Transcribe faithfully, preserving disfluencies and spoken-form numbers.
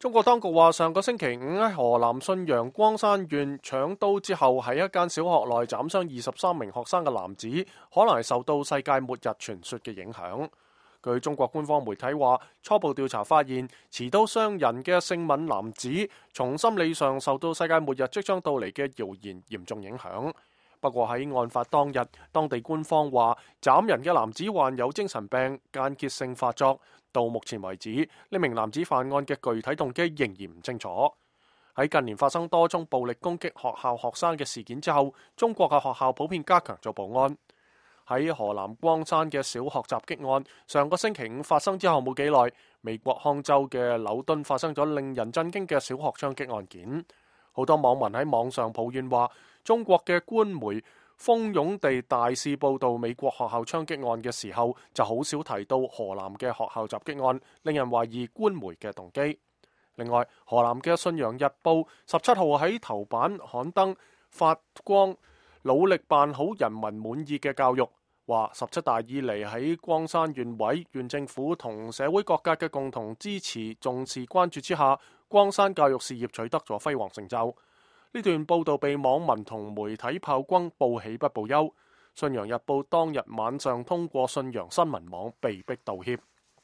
中國當局話，上個星期五喺河南信陽光山縣搶刀之後，喺一間小學內斬傷二十三名學生嘅男子，可能係受到世界末日傳說嘅影響。據中國官方媒體話，初步調查發現，持刀傷人嘅姓閔男子，從心理上受到世界末日即將到嚟嘅謠言嚴重影響。不過喺案發當日，當地官方話斬人嘅男子患有精神病間歇性發作。到目前為止，呢名男子犯案嘅具體動機仍然唔清楚。喺近年發生多宗暴力攻擊學校學生嘅事件之後，中國嘅學校普遍加強做保安。喺河南光山嘅小學襲擊案，上個星期五發生之後冇幾耐，美國康州嘅紐敦發生咗令人震驚嘅小學槍擊案件。好多網民喺網上抱怨話，中國嘅官媒蜂擁地大肆報導美國學校槍擊案嘅時候，就好少提到河南嘅學校襲擊案，令人懷疑官媒嘅動機。另外，河南嘅《信陽日報》十七號喺頭版刊登發光努力辦好人民滿意嘅教育，話十七大以嚟喺光山縣委、縣政府同社會各界嘅共同支持、重視、關注之下，光山教育事業取得咗輝煌成就。呢段報道被網民同媒體炮轟，報喜不報憂。《信陽日報》當日晚上通過信陽新聞網被迫道歉。